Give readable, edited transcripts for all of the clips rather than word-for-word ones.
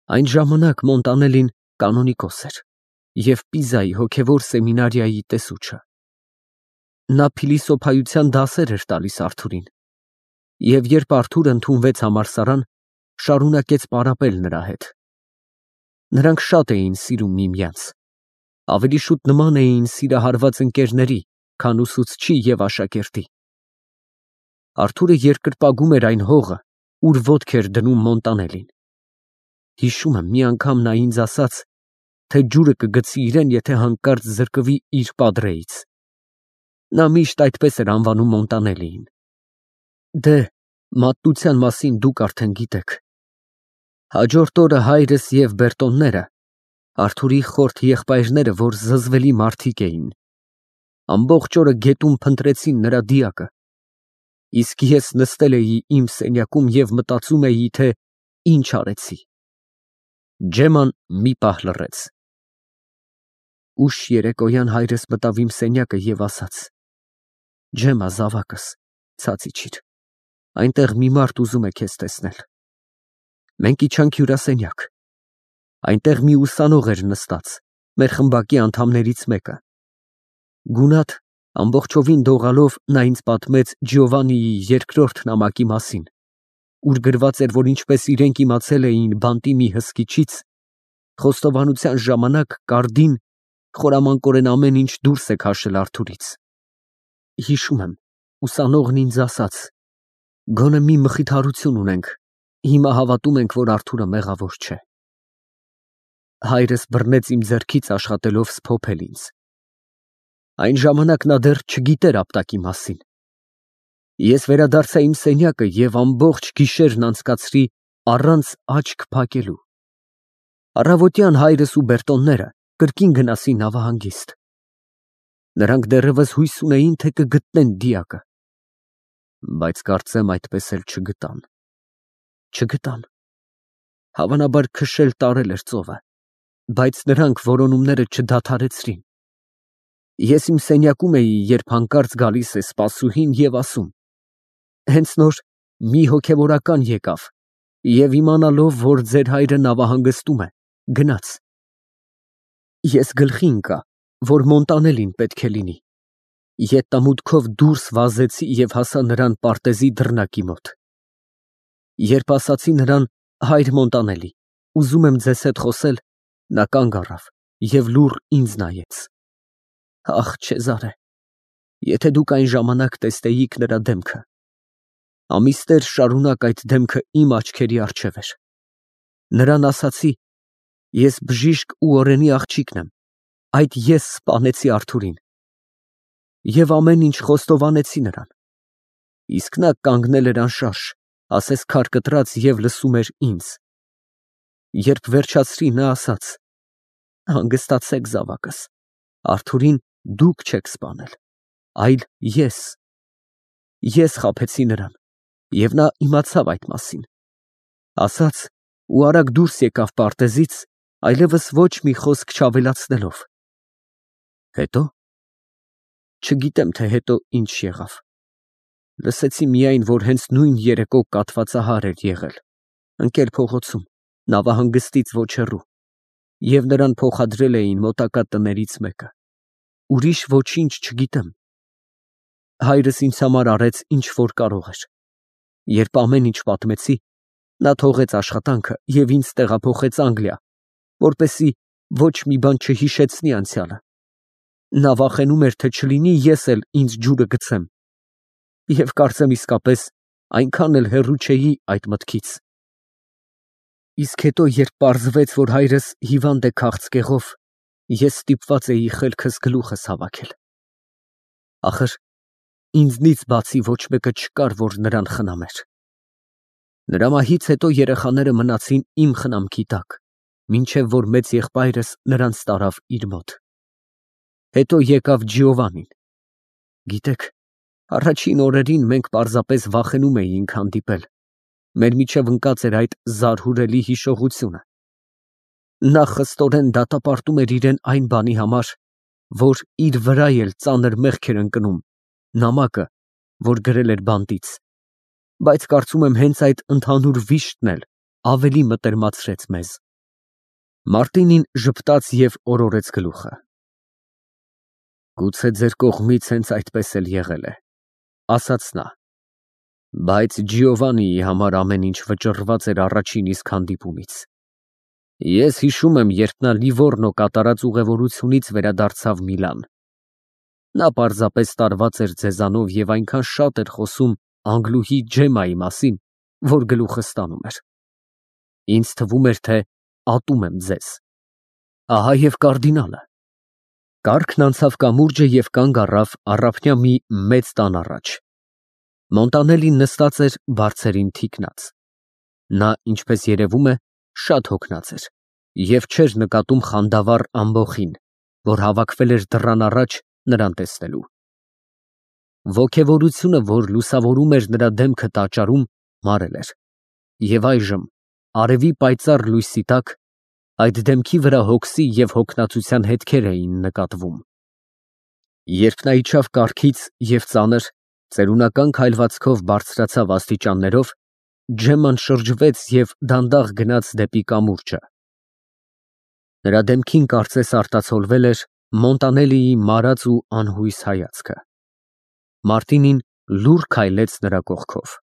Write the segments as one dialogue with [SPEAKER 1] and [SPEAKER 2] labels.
[SPEAKER 1] Այն ժամանակ Մոնտանելին կանոնիկոս էր և Պիզայի հոգևոր սեմինարիայի տեսուչը։ Նա փիլիսոփայության դասեր էր տալիս Արթուրին, և երբ Արթուրը ընդունվեց համալսարան, շարունակեց պարապել նրա հետ։ Նրանք շատ էին սիրում միմյանց, ավելի շուտ նման էին սիրահարված ընկերների, քան ուսուցչի և աշակերտի։ Արթուրը երկրպագում էր այն հողը, ուր ոտք էր դնում Մոնտանելին։ Հիշում եմ, մի անգամ նա ինձ ասաց, թե ջուրը կգցի իրեն, եթե հանկարծ զրկվի իր պատրեից։ Նա միշտ այդպես էր անվանում Մոնտանելիին։ Դե, մատնության մասին դուք արդեն գիտեք։ Հաջորդ օրը հայրս և Բերտոնները, Արթուրի խորթ եղբայրները, որ զզվելի մարդիկ էին, ամբողջ օրը գետում փնտրեցին նրա դիակը, իսկ ես նստել էի իմ սենյակում և մտածում էի, թե ինչ արեցի։ Ջեման մի պահ լռեց։ Ուշ երեկոյան հայրս մտավ իմ սենյակը և ասաց. «Ջեմա, զավակս, ցած իջիր, այնտեղ մի մարդ ուզում է քեզ տեսնել»։ Մենք իջանք հյուրասենյակ։ Այնտեղ մի ուսանող էր նստած, մեր խմբակի անդամներից մեկը։ Գունատ, ամբողջովին դողալով նա ինձ պատմեց Ջիովաննիի երկրորդ նամակի մասին, ուր գրված էր, որ ինչպես իրենք իմացել էին բանտի մի հսկիչից, խոստովանության ժամանակ կարդին խորամանկորեն ամեն ինչ դուրս է քաշել Արթուրից։ Հիշում եմ, ուսանողն ինձ ասաց. «Գոնե մի մխիթարություն ունենք, հիմա հավատում ենք, որ Արթուրը մեղավոր չէ»։ Հայրս բռնեց իմ ձեռքից, աշխատելով սփոփել ինձ։ Այն ժամանակ նա դեռ չգիտեր ապտակի մասին։ Ես վերադարձա իմ սենյակը և ամբողջ գիշերն անցկացրի առանց աչք փակելու։ Առավոտյան հայրս ու Բերտոնները կրկին գնացին նավահանգիստ։ Նրանք դեռևս հույս ունեին, թե կգտնեն դիակը։ Բայց կարծեմ այդպես էլ չգտան։ Չգտան։ Հավանաբար քշել տարել էր ծովը, բայց նրանք որոնումները չդադարեցրին։ Ես իմ սենյակում էի, երբ հանկարծ գալիս է սպասուհին և ասում. «Հենց նոր մի հոգևորական եկավ և իմանալով, որ ձեր հայրը նավահանգստում է, գնաց»։ Ես գլխի ընկա, որ Մոնտանելին պետք է լինի։ Ետամուտքով դուրս վազեցի և հասա նրան պարտեզի դռնակի մոտ։ Երբ ասացի նրան. «Հայր Մոնտանելի, ուզում եմ ձեզ հետ խոսել», նա կանգ առավ և լուռ ինձ նայեց։ Ախ, Չեզարե, եթե դուք այն ժամանակ տեսնեիք նրա դեմքը։ Ամիսներ շարունակ այդ դեմքը իմ աչքերի առջև էր։ Նրան ասացի. «Ես բժիշկ ու օրենի աղջիկն եմ, այդ ես սպանեցի Արթուրին»։ Եվ ամեն ինչ խոստովանեցի նրան։ Իսկ նա կանգնել էր անշարժ, ասես քար կտրած, և լսում էր ինձ։ Երբ վերջացրի, նա ասաց. «Հանգստացեք, զավակս, Արթուրին դուք չեք սպանել, այլ ես։ Ես խաբեցի նրան, և նա իմացավ այդ մասին։ Ասաց ու արագ դուրս եկավ պարտեզից, այլևս ոչ մի խոսք չավելացնելով։ Հետո։ Չգիտեմ, թե հետո ինչ եղավ։ Լսեցի միայն, որ հենց նույն երեկո կաթվածահար էր եղել, ընկել փողոցում, նավահանգստից ոչ հեռու, և նրան փոխադրել էին մոտակա տներից մեկը։ Ուրիշ ոչինչ չգիտեմ։ Հայրս ինձ համար արեց, ինչ որ կարող էր։ Երբ ամեն ինչ պատմեցի, նա թողեց աշխատանքը և ինձ տեղափոխեց Անգլիա, որպեսզի ոչ մի բան չհիշեցնի անցյալը։ Նա վախենում էր, թե չլինի ես էլ ինձ ջուրը գցեմ, և կարծեմ իսկապես այնքան էլ հեռու չէի այդ մտքից։ Իսկ հետո, երբ պարզվեց, որ հայրս հիվանդ է քաղցկեղով, ես ստիպված էի խելքս գլուխս հավաքել։ Ախր ինձնից բացի ոչ մեկը չկար, որ նրան խնամեր։ Նրա մահից հետո երեխաները մնացին իմ խնամքի տակ, մինչև որ մեծ եղբայրս նրանց տարավ իր մոտ։ Հետո եկավ Ջիովաննին։ Գիտեք, առաջին օրերին մենք պարզապես վախենում էինք հանդիպել, մեր միջև ընկած էր այդ զարհուրելի հիշողությունը։ Նա խստորեն դատապարտում էր իրեն այն բանի համար, որ իր վրա էլ ծանր մեղք էր ընկնում, նամակը, որ գրել էր բանտից, բայց կարծում եմ հենց այդ ընդհանուր վիշտն էլ ավելի մտերմացրեց մեզ։ Մարտինին ժպտաց և օրորեց գլուխը։ Գուցե ձեր կողմից հենց այդպես էլ եղել է, ասաց նա, բայց Ջիովանիի համար ամեն ինչ վճռված էր առաջին իսկ հանդիպումից։ Ես հիշում եմ, երբ նա Լիվորնո կատարած ուղևորությունից վերադարձավ Միլան։ Նա պարզապես տարված էր ձեզանով և այնքան շատ էր խոսում Անգլուհի Ջեմայի մասին, որ գլուխը ստանում էր։ Ինձ թվում էր, թե ատում եմ ձեզ։ Ահա և կարդինալը։ Կառքն անցավ կամուրջը և կանգ առավ առափնյա մի մեծ տան առաջ։ Մոնտանելին նստած էր բարձերին թիկնած։ Նա, ինչպես երևում է, շատ հոգնած էր և չէր նկատում խանդավառ ամբոխին, որ հավաքվել էր դռան առաջ նրան տեսնելու։ Ոգևորությունը, որ լուսավորում էր նրա դեմքը տաճարում, մարել էր, և այժմ, արևի պայծառ լույսի տակ, այդ դեմքի վրա հոգսի և հոգնածության հետքեր էին նկատվում։ Երբ նա իջավ կառքից և ծանր, ծերունական քայլվածքով բարձրացավ աստիճաններով, Ջեմման շրջվեց և դանդաղ գնաց դեպի կամուրջը։ Նրա դեմքին կարծես արտացոլվել էր Մոնտանելիի մարած ու անհույս հայացքը։ Մարտինին լուռ քայլեց նրա կողքով։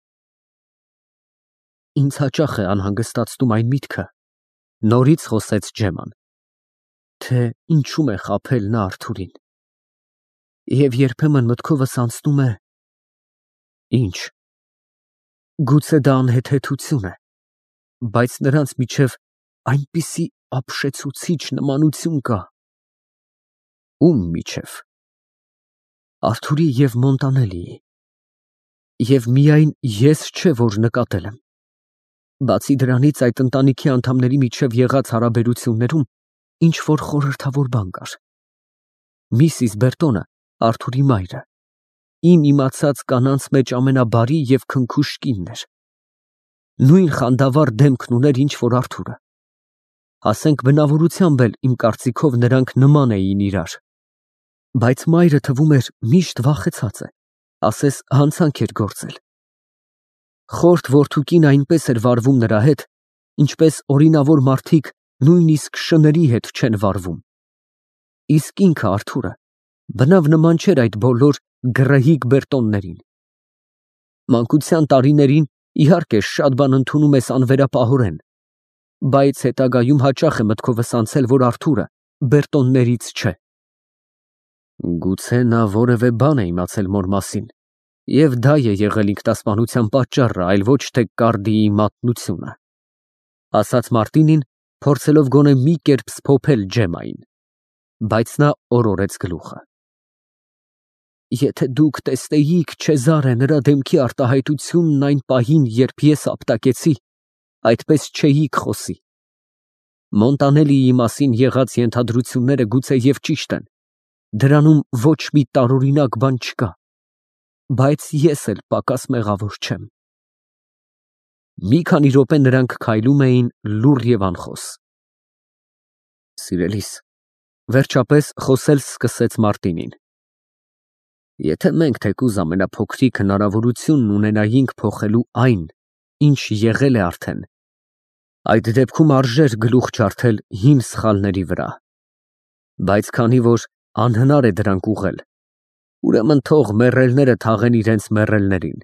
[SPEAKER 1] Ինձ հաճախ է անհանգստացնում այն միտքը, նորից խոսեց Ջեմման, թե ինչում է խաբել նա Արթուրին։ Եվ երբեմն մտքովս անցնում է. Ինչ, գուցե դա անհեթեթություն է, բայց նրանց միջև այնպիսի ապշեցուցիչ նմանություն կա։ Ում միջև։ Արթուրի և Մոնտանելիի։ Եվ միայն ես չէ, որ նկատել եմ։ Բացի դրանից, այդ ընտանիքի անդամների միջև եղած հարաբերություններում ինչ-որ խորհրդավոր բան կար։ Միսիս Բերտոնը, Արթուրի մայրը, իմ իմացած կանանց մեջ ամենաբարի և քնքուշ կինն էր։ Նույն խանդավառ դեմքն ուներ, ինչ որ Արթուրը։ Ասենք բնավորությամբ էլ, իմ կարծիքով, նրանք նման էին իրար։ Բայց մայրը, թվում էր, միշտ վախեցած է, ասես հանցանք էր գործել։ Խորթ որդուկին այնպես էր վարվում նրա հետ, ինչպես օրինավոր մարդիկ նույնիսկ շների հետ չեն վարվում։ Իսկ ինքը Արթուրը բնավ նման չէր այդ բոլոր գռեհիկ Բերտոններին։ Մանկության տարիներին, իհարկե, շատ բան ընդունում ես անվերապահորեն, բայց հետագայում հաճախ է մտքովս անցել, որ Արթուրը Բերտոններից չէ։ Գուցե նա որևէ բան է իմացել մոր մասին, և դա է եղել ինքնասպանության պատճառը, այլ ոչ թե Կարդիի մատնությունը, ասաց Մարտինին, փորձելով գոնե մի կերպ սփոփել Ջեմմային, բայց նա օրորեց գլուխը։ Եթե դուք տեսնեիք, Չեզարե, նրա դեմքի արտահայտությունն այն պահին, երբ ես ապտակեցի, այդպես չէիք խոսի։ Մոնտանելիի մասին եղած ենթադրությունները գուցե և ճիշտ են, դրանում ոչ մի տարօրինակ բան չկա, բայց ես էլ պակաս մեղավոր չեմ։ Մի քանի րոպե նրանք քայլում էին լուռ և անխոս։ Սիրելիս, վերջապես խոսել սկսեց Մարտինին, եթե մենք թեկուզ ամենափոքրիկ հնարավորությունն ունենայինք փոխելու այն, ինչ եղել է արդեն, այդ դեպքում արժեր գլուխ ջարդել հին սխալների վրա, բայց քանի որ անհնար է դրանք ուղղել, ուրեմն թող մեռելները թաղեն իրենց մեռելներին։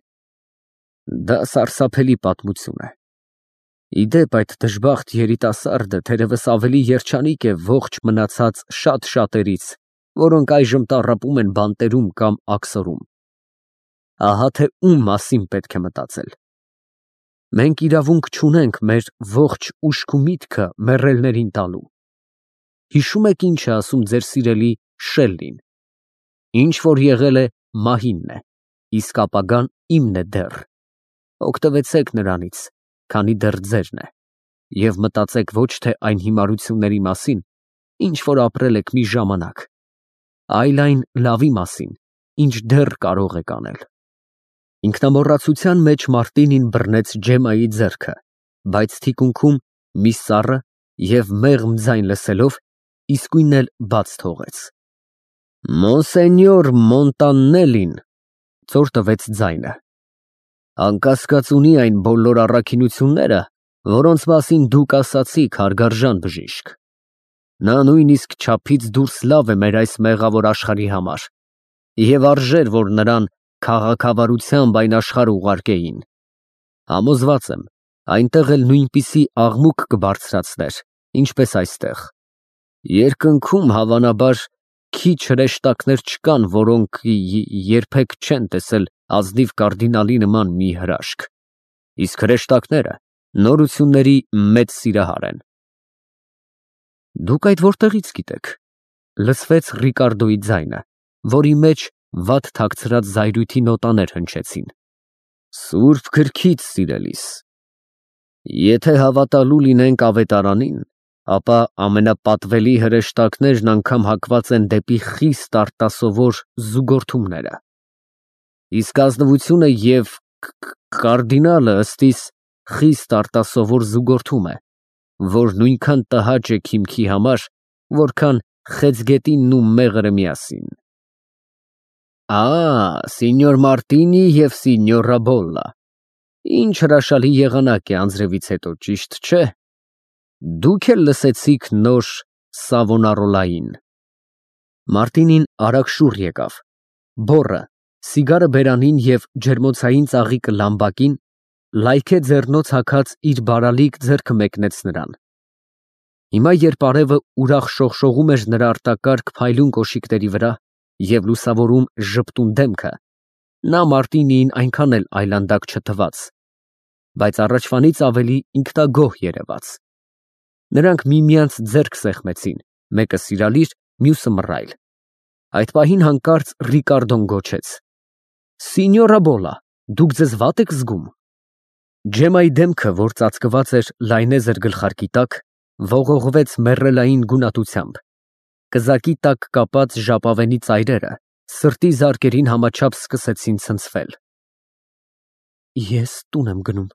[SPEAKER 1] Դա սարսափելի պատմություն է։ Ի դեպ, այդ դժբախտ երիտասարդը թերևս ավելի երջանիկ է ողջ մնացած շատ շատերից, որոնք այժմ տառապում են բանտերում կամ աքսորում։ Ահա թե ում մասին պետք է մտածել։ Մենք իրավունք չունենք մեր ողջ ուշք ու միտքը մեռելներին տալու։ Հիշում եք ինչ է ասում ձեր սիրելի Շելլին. ինչ որ եղել է, մահինն է, իսկ ապագան իմն է դեռ։ Օգտվեցեք նրանից, քանի դեռ ձերն է, և մտածեք ոչ թե այն հիմարությունների մասին, ինչ որ ապրել եք մի ժամանակ, այլ այն լավի մասին, ինչ դեռ կարող եք անել։ Ինքնամոռացության մեջ Մարտինին բռնեց Ջեմմայի ձեռքը, բայց թիկունքում մի սառը և մեղմ ձայն լսելով, իսկույն էլ բաց թողեց։ Մոնսենյոր Մոնտանելին, ցոր տվեց ձայնը, անկասկած ունի այն բոլոր առաքինությունները, որոնց մասին դուք ասացիք, հարգարժան բժիշկ։ Նա նույնիսկ չափից դուրս լավ է մեր այս մեղավոր աշխարհի համար, և արժեր, որ նրան քաղաքավարությամբ այն աշխարհ ուղարկեին։ Համոզված եմ, այնտեղ էլ նույնպիսի աղմուկ կբարձրացներ, ինչպես այստեղ։ Երկնքում, հավանաբար, քիչ հրեշտակներ չկան, որոնք երբեք չեն տեսել ազնիվ կարդինալի նման մի հրաշք, իսկ հրեշտակները նորությունների մեծ սիրահար են։ Դուք այդ որտեղից գիտեք, լսվեց Ռիկարդոյի ձայնը, որի մեջ վատ թաքցրած զայրույթի նոտաներ հնչեցին։ Սուրբ գրքից, սիրելիս։ Եթե հավատալու լինենք ավետարանին, ապա ամենապատվելի հրեշտակներն անգամ հակված են դեպի խիստ արտասովոր զուգորդումները։ Իսկ ազնվությունը և կարդինալը ըստ իս խիստ արտասովոր զուգորդում է, որ նույնքան տհաճ է քիմքի համար, որքան խեցգետինն ու մեղրը միասին։ Սինյոր Մարտինի և սինյորա Բոլլա, ինչ հրաշալի եղանակ է անձրևից հետո, ճիշտ չէ։ Դուք էլ լսեցիք նոր Սավոնարոլային։ Մարտինին արագ շուռ եկավ, բոռը, սիգարը բերանին և ջերմոցային ծաղիկը լամբակին, լայքե ձեռնոց հագած իր բարալիկ ձեռքը մեկնեց նրան։ Հիմա, երբ արևը ուրախ շողշողում էր նրա արտակարգ փայլուն կոշիկների վրա և լուսավորում ժպտուն դեմքը, նա Մարտինիին այնքան էլ այլանդակ չթվաց, բայց առաջվանից ավելի ինքնագոհ երևաց։ Նրանք միմյանց ձեռք սեղմեցին, մեկը սիրալիր, մյուսը մռայլ։ Այդ պահին հանկարծ Ռիկարդոն գոչեց. Սինյորա Բոլլա, դուք ձեզ վատ եք զգում։ Ջեմմայի դեմքը, որ ծածկված էր լայնեզր գլխարկի տակ, ողողվեց մեռելային գունատությամբ։ Կզակի տակ կապած ժապավենի ծայրերը սրտի զարկերին համաչափ սկսեցին ցնցվել։ Ես տուն եմ գնում,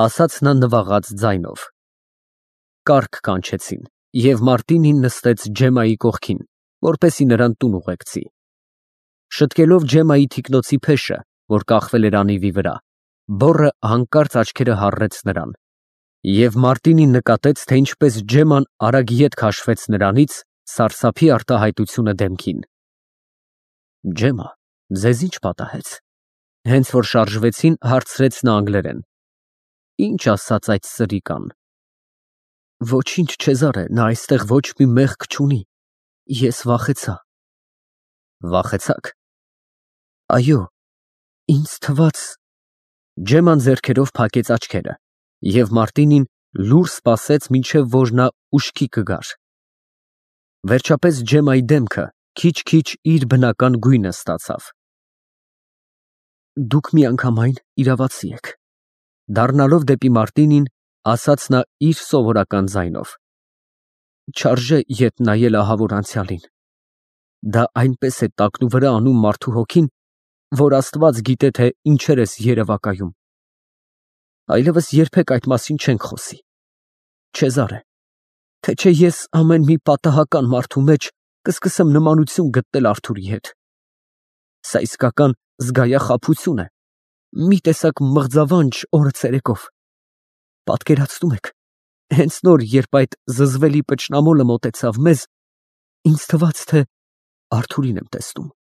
[SPEAKER 1] ասաց նա նվաղած ձայնով։ Կառք կանչեցին, և Մարտինին նստեց Ջեմմայի կողքին, որպեսզի նրան տուն ուղեկցի։ Շտկելով Ջեմմայի թիկնոցի փեշը, որ կախվել էր անիվի վրա, բոռը հանկարծ աչքերը հառեց նրան, և Մարտինին նկատեց, թե ինչպես Ջեմման արագ ետ քաշվեց նրանից, սարսափի արտահայտությունը դեմքին։ Ջեմմա, ձեզ ինչ պատահեց։ Հենց որ շարժվեցին, հարցրեց նա անգլերեն։ Ինչ ասաց այդ սրիկան։ Ոչինչ, Չեզարե, նա այստեղ ոչ մի մեղք չունի։ Ես վախեցա։ Վախեցաք։ Այո, ինձ թվաց… Ջեմման ձեռքերով փակեց աչքերը, և Մարտինին լուռ սպասեց, մինչև որ նա ուշքի կգար։ Վերջապես Ջեմմայի դեմքը քիչ-քիչ իր բնական գույնը ստացավ։ Դուք միանգամայն իրավացի եք, դառնալով դեպի Մարտինին, ասաց նա իր սովորական ձայնով։ Չարժե ետ նայել ահավոր անցյալին։ Դա այնպես է տակնուվրա անում մարդու հոգին, որ Աստված գիտե, թե ինչեր ես երևակայում։ Այլևս երբեք այդ մասին չենք խոսի։ Չեզարե, թե չէ ես ամեն մի պատահական մարդու մեջ կսկսեմ նմանություն գտնել Արթուրի հետ։ Սա իսկական զգայախաբություն է, մի տեսակ մղձավանջ օրը ցերեկով։ Պատկերացնում եք, հենց նոր, երբ այդ զզվելի պճնամոլը մոտեցավ մեզ, ինձ թվաց, թե Արթուրին եմ տեսնում։